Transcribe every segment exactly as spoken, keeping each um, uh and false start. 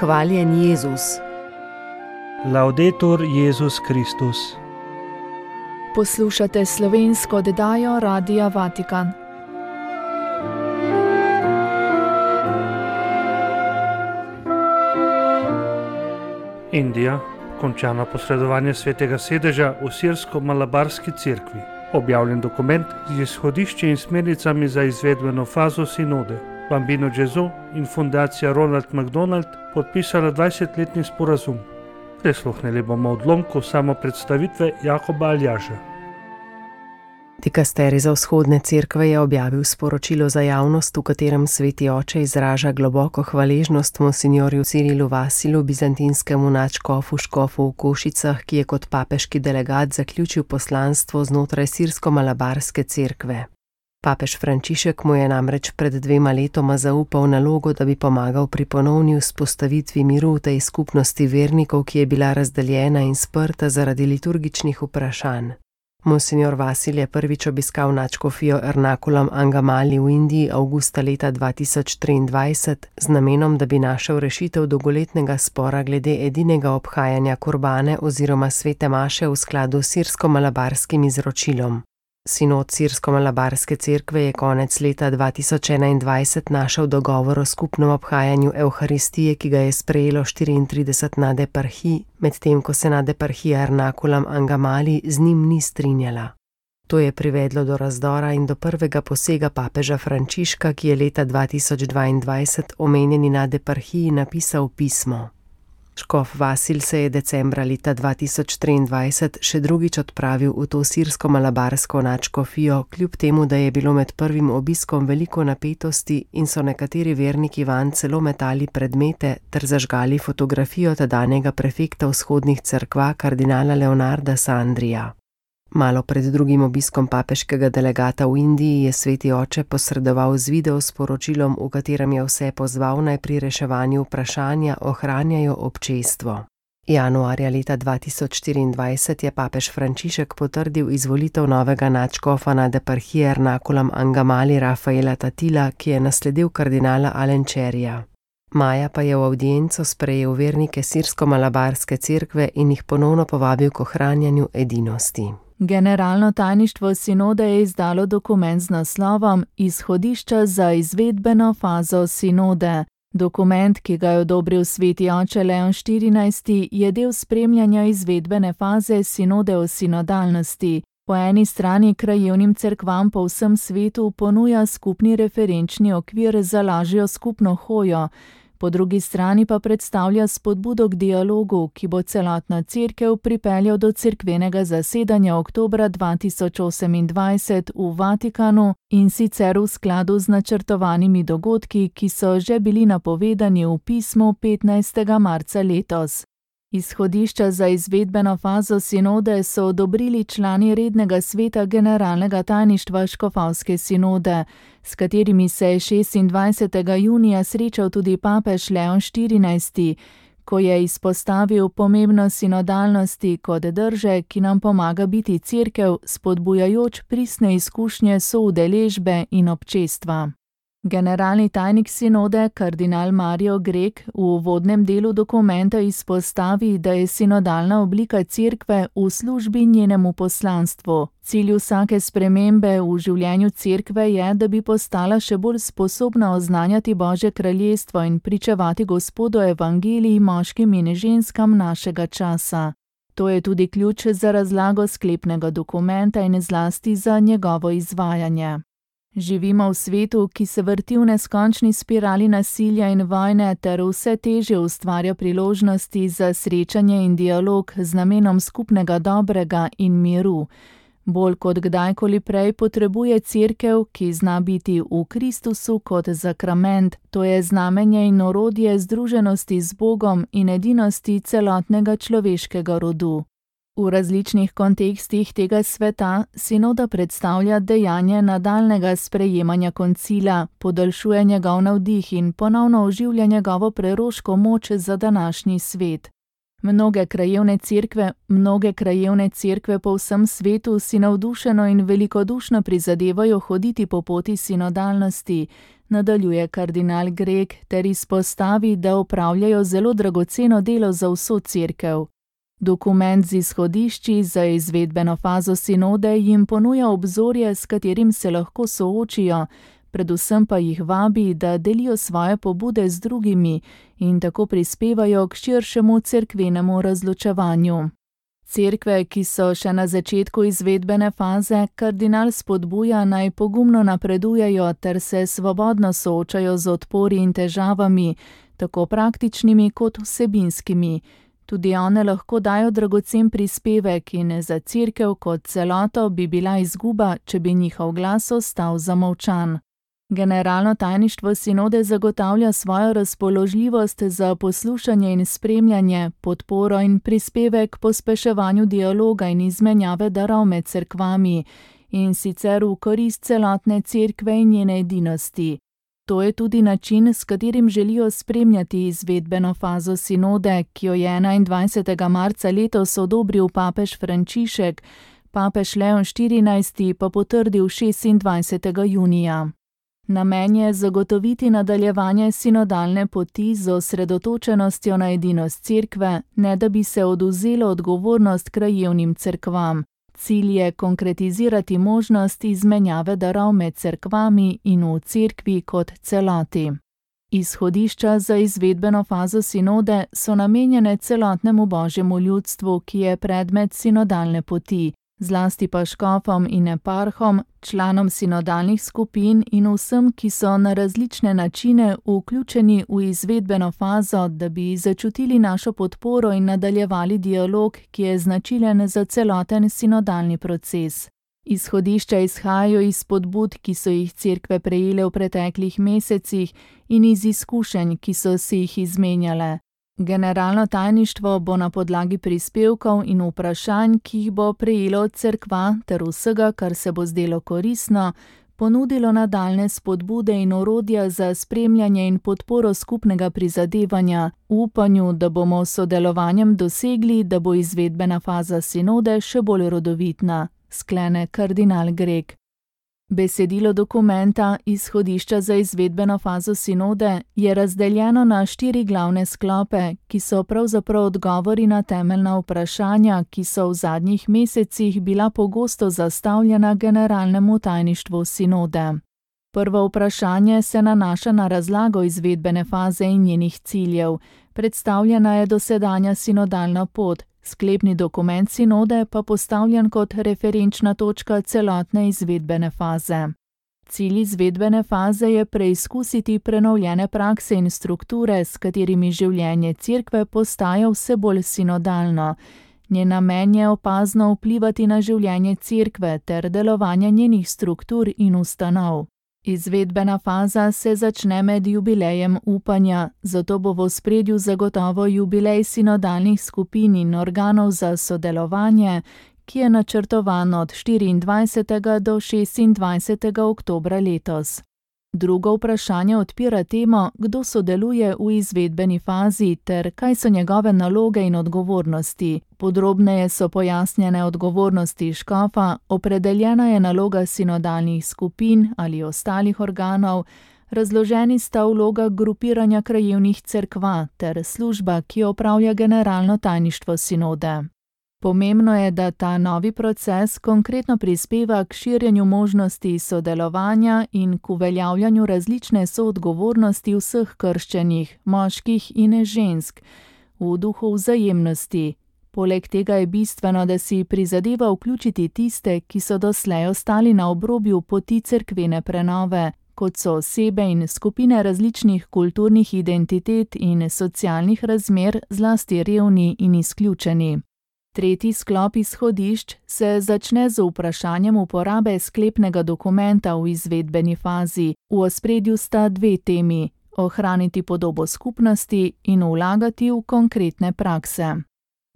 Hvaljen Jezus. Laudetur Jezus Kristus. Poslušate slovensko oddajo Radia Vatikan. Indija, končano posredovanje svetega sedeža v sirsko-malabarski cerkvi. Objavljen dokument z izhodišči in smernicami za izvedbeno fazo sinode. Bambino Gesù in fundacija Ronald McDonald podpisala dvajsetletni sporazum. Prisluhnili bomo odlomku samopredstavitve Jakoba Aljaža. Dikasterij za vzhodne cerkve je objavil sporočilo za javnost, v katerem sveti oče izraža globoko hvaležnost monsinjorju Cirilu Vasilu, bizantinskemu nadškofu škofu v Košicah, ki je kot papeški delegat zaključil poslanstvo znotraj sirsko-malabarske cerkve. Papež Frančišek mu je namreč pred dvema letoma zaupal nalogo, da bi pomagal pri ponovni vzpostavitvi miru v tej skupnosti vernikov, ki je bila razdeljena in sprta zaradi liturgičnih vprašanj. Monsinjor Vasil je prvič obiskal nadškofijo Ernakulam Angamali v Indiji avgusta leta dva tisoč triindvajset z namenom, da bi našel rešitev dolgoletnega spora glede edinega obhajanja kurbane oziroma svete maše v skladu s sirsko-malabarskim izročilom. Sinod sirsko-malabarske cerkve je konec leta dva tisoč enaindvajset našel dogovor o skupnem obhajanju Evharistije, ki ga je sprejelo štiriintrideset nadeparhij, medtem ko se nadeparhija Ernakulam Angamali z njim ni strinjala. To je privedlo do razdora in do prvega posega papeža Frančiška, ki je leta dva tisoč dvaindvajset omenjeni nadeparhiji napisal pismo. Škof Vasil se je decembra leta dva tisoč triindvajset še drugič odpravil v to sirsko-malabarsko nadškofijo, kljub temu, da je bilo med prvim obiskom veliko napetosti in so nekateri verniki vanj celo metali predmete ter zažgali fotografijo tedanjega prefekta vzhodnih cerkva kardinala Leonarda Sandrija. Malo pred drugim obiskom papeškega delegata v Indiji je sveti oče posredoval z video sporočilom, v katerem je vse pozval naj pri reševanju vprašanja ohranjajo občestvo. Januarja leta dva tisoč štiriindvajset je papež Frančišek potrdil izvolitev novega nadškofa nadeparhije Ernakulam Angamali Rafaela Tatila, ki je nasledil kardinala Alenčerija. Maja pa je v avdienco sprejel vernike sirsko-malabarske cerkve in jih ponovno povabil k ohranjanju edinosti. Generalno tajništvo sinode je izdalo dokument z naslovom Izhodišča za izvedbeno fazo sinode. Dokument, ki ga je odobril sveti oče Leon štirinajsti, je del spremljanja izvedbene faze sinode o sinodalnosti. Po eni strani krajevnim cerkvam po vsem svetu ponuja skupni referenčni okvir za lažjo skupno hojo, po drugi strani pa predstavlja spodbudo k dialogu, ki bo celotna cerkev pripeljal do cerkvenega zasedanja oktobra dva tisoč osemindvajset v Vatikanu in sicer v skladu z načrtovanimi dogodki, ki so že bili napovedani v pismu petnajstega marca letos. Izhodišča za izvedbeno fazo sinode so odobrili člani rednega sveta generalnega tajništva škofovske sinode, s katerimi se je šestindvajsetega junija srečal tudi papež Leon štirinajsti, ko je izpostavil pomembnost sinodalnosti kot drže, ki nam pomaga biti cerkev, spodbujajoč pristne izkušnje soudeležbe in občestva. Generalni tajnik sinode, kardinal Mario Grek, v uvodnem delu dokumenta izpostavi, da je sinodalna oblika cerkve v službi njenemu poslanstvu. Cilj vsake spremembe v življenju cerkve je, da bi postala še bolj sposobna oznanjati Božje kraljestvo in pričevati Gospodu evangeliji moškim in ženskam našega časa. To je tudi ključ za razlago sklepnega dokumenta in zlasti za njegovo izvajanje. Živimo v svetu, ki se vrti v neskončni spirali nasilja in vojne ter vse težje ustvarja priložnosti za srečanje in dialog z namenom skupnega dobrega in miru. Bolj kot kdajkoli prej potrebuje cerkev, ki zna biti v Kristusu kot zakrament, to je znamenje in orodje združenosti z Bogom in edinosti celotnega človeškega rodu. V različnih kontekstih tega sveta sinoda predstavlja dejanje nadaljnega sprejemanja koncila, podaljšuje njegov navdih in ponovno oživlja njegovo preroško moč za današnji svet. Mnoge krajevne cerkve, mnoge krajevne cerkve po vsem svetu si navdušeno in velikodušno prizadevajo hoditi po poti sinodalnosti, nadaljuje kardinal Greg ter izpostavi, da opravljajo zelo dragoceno delo za vso cerkev. Dokument z izhodišči za izvedbeno fazo sinode jim ponuja obzorje, s katerim se lahko soočijo, predvsem pa jih vabi, da delijo svoje pobude z drugimi in tako prispevajo k širšemu cerkvenemu razločevanju. Cerkve, ki so še na začetku izvedbene faze, kardinal spodbuja naj pogumno napredujejo ter se svobodno soočajo z odpori in težavami, tako praktičnimi kot vsebinskimi. Tudi one lahko dajo dragocen prispevek in za cerkev kot celoto bi bila izguba, če bi njihov glas ostal zamolčan. Generalno tajništvo sinode zagotavlja svojo razpoložljivost za poslušanje in spremljanje, podporo in prispevek k pospeševanju dialoga in izmenjave darov med cerkvami, in sicer v korist celotne cerkve in njene edinosti. To je tudi način, s katerim želijo spremljati izvedbeno fazo sinode, ki jo je enaindvajsetega marca letos odobril papež Frančišek, papež Leon štirinajsti pa potrdil šestindvajsetega junija. Namen je zagotoviti nadaljevanje sinodalne poti z osredotočenostjo na edinost cerkve, ne da bi se odvzelo odgovornost krajevnim cerkvam. Cilj je konkretizirati možnost izmenjave darov med cerkvami in v cerkvi kot celoti. Izhodišča za izvedbeno fazo sinode so namenjene celotnemu božjemu ljudstvu, ki je predmet sinodalne poti, zlasti pa škofom in eparhom, članom sinodalnih skupin in vsem, ki so na različne načine vključeni v izvedbeno fazo, da bi začutili našo podporo in nadaljevali dialog, ki je značilen za celoten sinodalni proces. Izhodišča izhajajo iz podbud, ki so jih cerkve prejele v preteklih mesecih, in iz izkušenj, ki so si jih izmenjale. Generalno tajništvo bo na podlagi prispevkov in vprašanj, ki jih bo prejelo od cerkva ter vsega, kar se bo zdelo koristno, ponudilo nadaljne spodbude in orodja za spremljanje in podporo skupnega prizadevanja, v upanju, da bomo s sodelovanjem dosegli, da bo izvedbena faza sinode še bolj rodovitna, sklene kardinal Greg. Besedilo dokumenta Izhodišča za izvedbeno fazo sinode je razdeljeno na štiri glavne sklope, ki so pravzaprav odgovori na temeljna vprašanja, ki so v zadnjih mesecih bila pogosto zastavljena generalnemu tajništvu sinode. Prvo vprašanje se nanaša na razlago izvedbene faze in njenih ciljev. Predstavljena je dosedanja sinodalna pot, sklepni dokument sinode pa postavljen kot referenčna točka celotne izvedbene faze. Cilj izvedbene faze je preizkusiti prenovljene prakse in strukture, s katerimi življenje cerkve postaja vse bolj sinodalno. Njen namen je opazno vplivati na življenje cerkve ter delovanje njenih struktur in ustanov. Izvedbena faza se začne med jubilejem upanja, zato bo v ospredju zagotovo jubilej sinodalnih skupin in organov za sodelovanje, ki je načrtovan od štiriindvajsetega do šestindvajsetega oktobra letos. Drugo vprašanje odpira temo, kdo sodeluje v izvedbeni fazi ter kaj so njegove naloge in odgovornosti. Podrobneje so pojasnjene odgovornosti škofa, opredeljena je naloga sinodalnih skupin ali ostalih organov, razloženi sta vloga grupiranja krajevnih cerkva ter služba, ki jo opravlja generalno tajništvo sinode. Pomembno je, da ta novi proces konkretno prispeva k širjenju možnosti sodelovanja in k uveljavljanju različne soodgovornosti vseh krščenih, moških in žensk, v duhu vzajemnosti. Poleg tega je bistveno, da si prizadeva vključiti tiste, ki so doslej ostali na obrobju poti cerkvene prenove, kot so osebe in skupine različnih kulturnih identitet in socialnih razmer, zlasti revni in izključeni. Tretji sklop izhodišč se začne z vprašanjem uporabe sklepnega dokumenta v izvedbeni fazi. V ospredju sta dve temi: ohraniti podobo skupnosti in vlagati v konkretne prakse.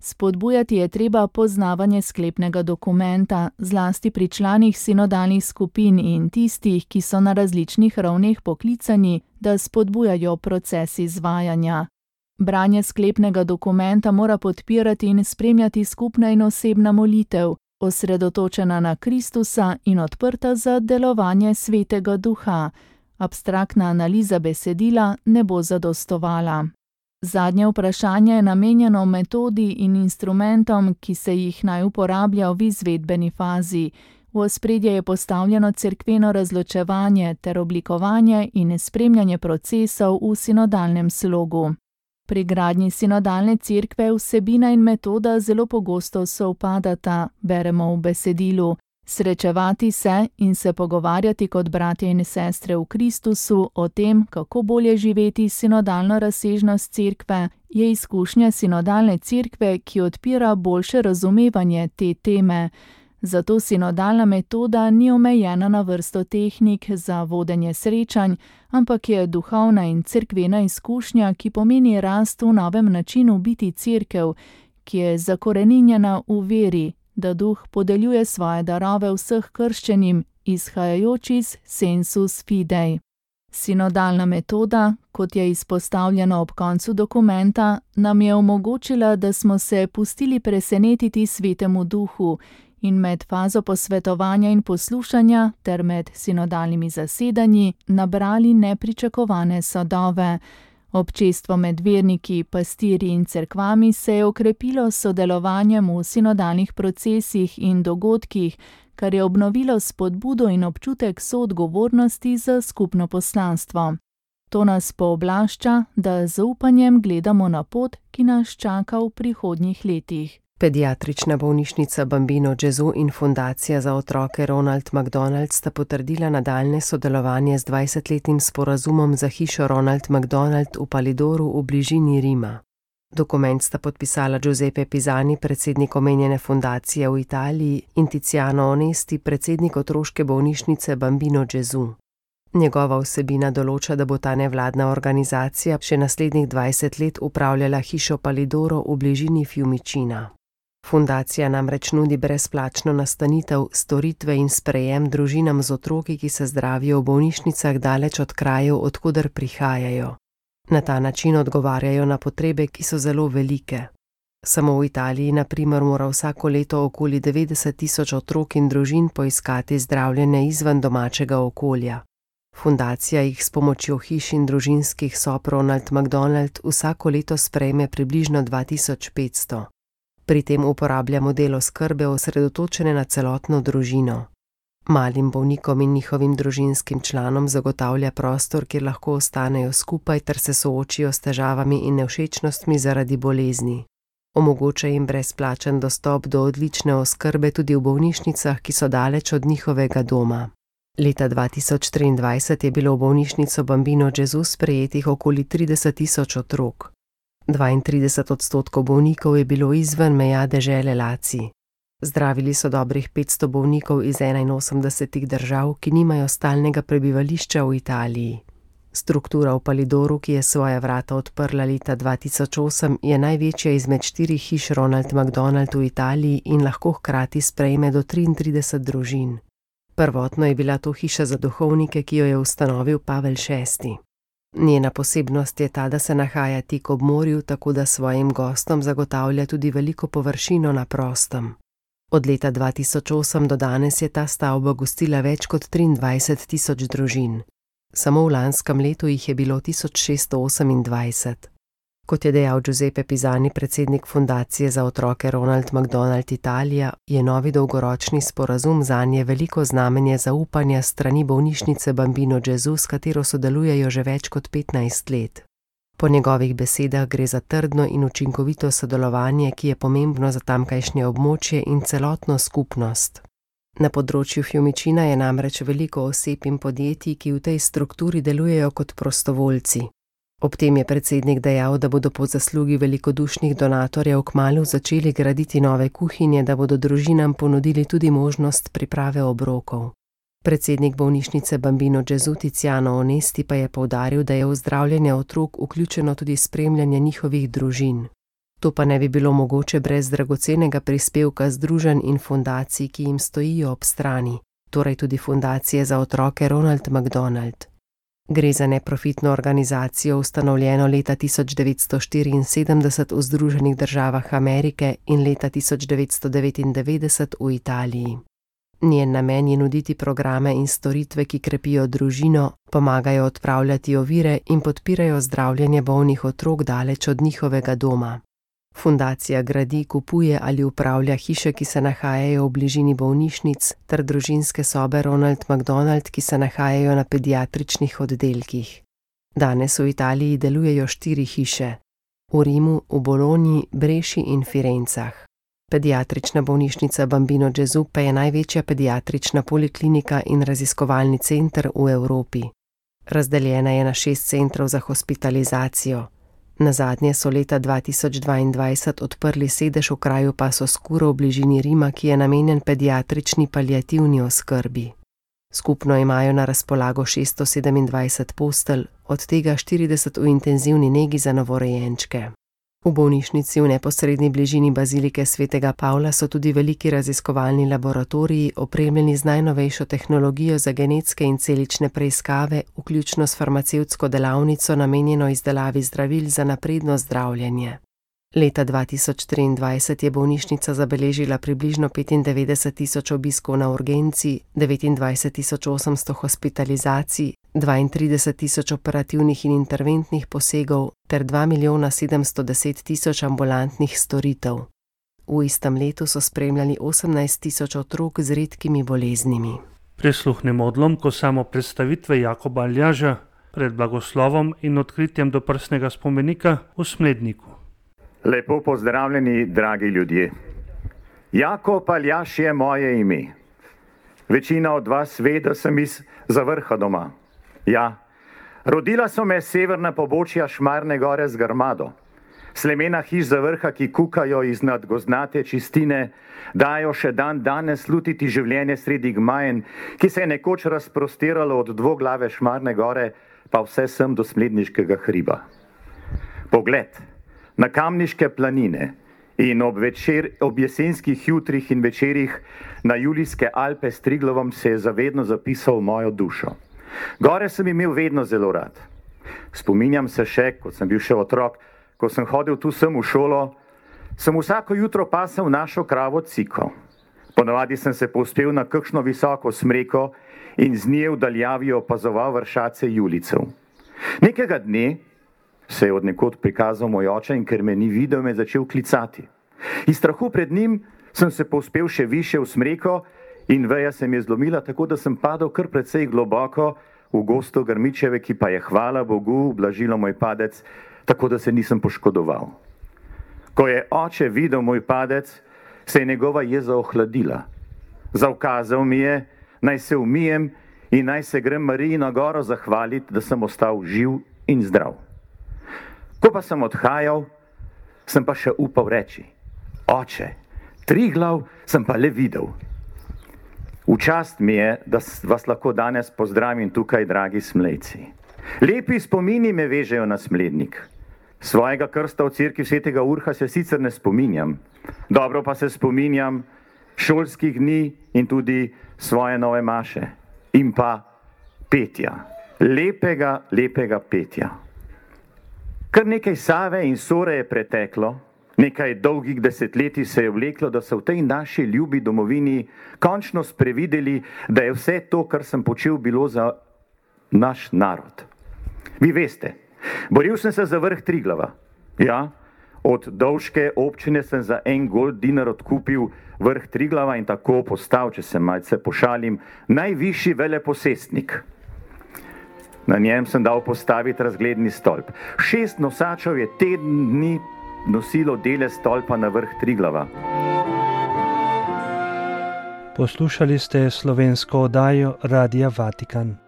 Spodbujati je treba poznavanje sklepnega dokumenta, zlasti pri članih sinodalnih skupin in tistih, ki so na različnih ravneh poklicani, da spodbujajo proces izvajanja. Branje sklepnega dokumenta mora podpirati in spremljati skupna in osebna molitev, osredotočena na Kristusa in odprta za delovanje Svetega Duha. Abstraktna analiza besedila ne bo zadostovala. Zadnje vprašanje je namenjeno metodi in instrumentom, ki se jih naj uporablja v izvedbeni fazi. V ospredje je postavljeno cerkveno razločevanje ter oblikovanje in spremljanje procesov v sinodalnem slogu. Pri gradnji sinodalne cerkve vsebina in metoda zelo pogosto sovpadata, beremo v besedilu. Srečevati se in se pogovarjati kot bratje in sestre v Kristusu o tem, kako bolje živeti sinodalno razsežnost cerkve, je izkušnja sinodalne cerkve, ki odpira boljše razumevanje te teme. Zato sinodalna metoda ni omejena na vrsto tehnik za vodenje srečanj, ampak je duhovna in cerkvena izkušnja, ki pomeni rast v novem načinu biti cerkev, ki je zakoreninjena v veri, da Duh podeljuje svoje darove vseh krščenim, izhajajoč iz sensus fidei. Sinodalna metoda, kot je izpostavljeno ob koncu dokumenta, nam je omogočila, da smo se pustili presenetiti Svetemu Duhu in med fazo posvetovanja in poslušanja ter med sinodalnimi zasedanji nabrali nepričakovane sadove. Občestvo med verniki, pastirji in cerkvami se je okrepilo s sodelovanjem v sinodalnih procesih in dogodkih, kar je obnovilo spodbudo in občutek soodgovornosti za skupno poslanstvo. To nas pooblašča, da z zaupanjem gledamo na pot, ki nas čaka v prihodnjih letih. Pediatrična bolnišnica Bambino Gesù in Fundacija za otroke Ronald McDonald sta potrdila nadaljne sodelovanje z dvajsetletnim sporazumom za hišo Ronald McDonald v Palidoru v bližini Rima. Dokument sta podpisala Giuseppe Pisani, predsednik omenjene fundacije v Italiji, in Tiziano Onesti, predsednik otroške bolnišnice Bambino Gesù. Njegova vsebina določa, da bo ta nevladna organizacija še naslednjih dvajset let upravljala hišo Palidoro v bližini Fiumicina. Fundacija namreč nudi brezplačno nastanitev, storitve in sprejem družinam z otroki, ki se zdravijo v bolnišnicah daleč od krajev, odkoder prihajajo. Na ta način odgovarjajo na potrebe, ki so zelo velike. Samo v Italiji, na primer, mora vsako leto okoli devetdeset tisoč otrok in družin poiskati zdravljenje izven domačega okolja. Fundacija jih s pomočjo hiš in družinskih sob Ronald McDonald vsako leto sprejme približno dva tisoč petsto. Pri tem uporablja model oskrbe osredotočene na celotno družino. Malim bolnikom in njihovim družinskim članom zagotavlja prostor, kjer lahko ostanejo skupaj ter se soočijo s težavami in nevšečnostmi zaradi bolezni. Omogoča jim brezplačen dostop do odlične oskrbe tudi v bolnišnicah, ki so daleč od njihovega doma. Leta dva tisoč triindvajset je bilo v bolnišnico Bambino Gesù sprejetih okoli trideset tisoč otrok. dvaintrideset odstotkov bolnikov je bilo izven meja dežele Laci. Zdravili so dobrih petsto bolnikov iz enainosemdesetih držav, ki nimajo stalnega prebivališča v Italiji. Struktura v Palidoru, ki je svoja vrata odprla leta dva tisoč osem, je največja izmed štirih hiš Ronald McDonald v Italiji in lahko hkrati sprejme do triintrideset družin. Prvotno je bila to hiša za duhovnike, ki jo je ustanovil Pavel šesti. Njena posebnost je ta, da se nahaja tik ob morju, tako da svojim gostom zagotavlja tudi veliko površino na prostem. Od leta dva tisoč osem do danes je ta stavba gostila več kot triindvajset tisoč družin. Samo v lanskem letu jih je bilo tisoč šeststo osemindvajset. Kot je dejal Giuseppe Pisani, predsednik fundacije za otroke Ronald McDonald Italija, je novi dolgoročni sporazum zanje veliko znamenje zaupanja strani bolnišnice Bambino Gesù, s katero sodelujejo že več kot petnajst let. Po njegovih besedah gre za trdno in učinkovito sodelovanje, ki je pomembno za tamkajšnje območje in celotno skupnost. Na področju Fiumicina je namreč veliko oseb in podjetij, ki v tej strukturi delujejo kot prostovoljci. Ob tem je predsednik dejal, da bodo po zaslugi velikodušnih donatorjev kmalu začeli graditi nove kuhinje, da bodo družinam ponudili tudi možnost priprave obrokov. Predsednik bolnišnice Bambino Gesù Tiziano Onesti pa je poudaril, da je v zdravljenje otrok vključeno tudi spremljanje njihovih družin. To pa ne bi bilo mogoče brez dragocenega prispevka združenj in fundacij, ki jim stojijo ob strani, torej tudi fundacije za otroke Ronald McDonald. Gre za neprofitno organizacijo, ustanovljeno leta tisoč devetsto štiriinsedemdeset v Združenih državah Amerike in leta tisoč devetsto devetindevetdeset v Italiji. Njen namen je nuditi programe in storitve, ki krepijo družino, pomagajo odpravljati ovire in podpirajo zdravljenje bolnih otrok daleč od njihovega doma. Fundacija gradi, kupuje ali upravlja hiše, ki se nahajajo v bližini bolnišnic, ter družinske sobe Ronald McDonald, ki se nahajajo na pediatričnih oddelkih. Danes v Italiji delujejo štiri hiše: v Rimu, v Bologni, Breši in Firencah. Pediatrična bolnišnica Bambino Gesù pa je največja pediatrična poliklinika in raziskovalni center v Evropi. Razdeljena je na šest centrov za hospitalizacijo. Nazadnje so leta dva tisoč dvaindvajset odprli sedež v kraju Passo Scuro v bližini Rima, ki je namenjen pediatrični paliativni oskrbi. Skupno imajo na razpolago šeststo sedemindvajset postelj, od tega štirideset v intenzivni negi za novorojenčke. V bolnišnici v neposredni bližini bazilike svetega Pavla so tudi veliki raziskovalni laboratoriji, opremljeni z najnovejšo tehnologijo za genetske in celične preiskave, vključno s farmacevtsko delavnico, namenjeno izdelavi zdravil za napredno zdravljenje. Leta dva tisoč triindvajset je bolnišnica zabeležila približno petindevetdeset tisoč obiskov na urgenci, devetindvajset tisoč osemsto hospitalizacij, dvaintrideset tisoč operativnih in interventnih posegov ter dva milijona sedemsto deset tisoč ambulantnih storitev. V istem letu so spremljali osemnajst tisoč otrok z redkimi boleznimi. Prisluhnemo odlomku samo predstavitve Jakoba Aljaža pred blagoslovom in odkritjem doprsnega spomenika v Smledniku. Lepo pozdravljeni, dragi ljudje. Jakob Aljaž je moje ime. Večina od vas ve, da sem iz Zavrha doma. Ja, rodila so me severna pobočja Šmarne gore z Grmado. Slemena hiš Zavrha, ki kukajo iz nadgozdnate čistine, dajo še dan danes slutiti življenje sredi gmajen, ki se je nekoč razprostiralo od dvoglave Šmarne gore, pa vse sem do Smledniškega hriba. Pogled na Kamniške planine in ob, večer, ob jesenskih jutrih in večerih na Julijske Alpe s Triglavom se je zavedno zapisal v mojo dušo. Gore sem imel vedno zelo rad. Spominjam se še, ko sem bil še otrok, ko sem hodil tu sem v šolo, sem vsako jutro pasel našo kravo Ciko. Ponavadi sem se povzpel na kakšno visoko smreko in z nje v daljavi opazoval vršace Julicev. Nekega dne se je od nekod prikazal moj oče in ker me ni videl, me začel klicati. Iz strahu pred njim sem se povzpel še više v smreko in veja se mi je zlomila, tako da sem padel kar precej globoko v gosto grmičeve, ki pa je, hvala Bogu, ublažilo moj padec, tako da se nisem poškodoval. Ko je oče videl moj padec, se je njegova jeza ohladila. Zaukazal mi je, naj se umijem in naj se grem Mariji na goro zahvaliti, da sem ostal živ in zdrav. Ko pa sem odhajal, sem pa še upal reči: oče, Triglav sem pa le videl. V čast mi je, da vas lahko danes pozdravim tukaj, dragi Smlejci. Lepi spomini me vežejo na Smlednik. Svojega krsta v cerkvi svetega Urha se sicer ne spominjam, dobro pa se spominjam šolskih dni in tudi svoje nove maše in pa petja, lepega, lepega petja. Kar nekaj Save in Sore je preteklo, nekaj dolgih desetletij se je vleklo, da so v tej naši ljubi domovini končno sprevideli, da je vse to, kar sem počel, bilo za naš narod. Vi veste, boril sem se za vrh Triglava. Ja, od Dovške občine sem za en gold dinar odkupil vrh Triglava in tako postal, če se malce pošalim, najvišji veleposestnik. Na njem sem dal postaviti razgledni stolp. Šest nosačev je teden dni nosilo dele stolpa na vrh Triglava. Poslušali ste slovensko oddajo Radia Vatikan.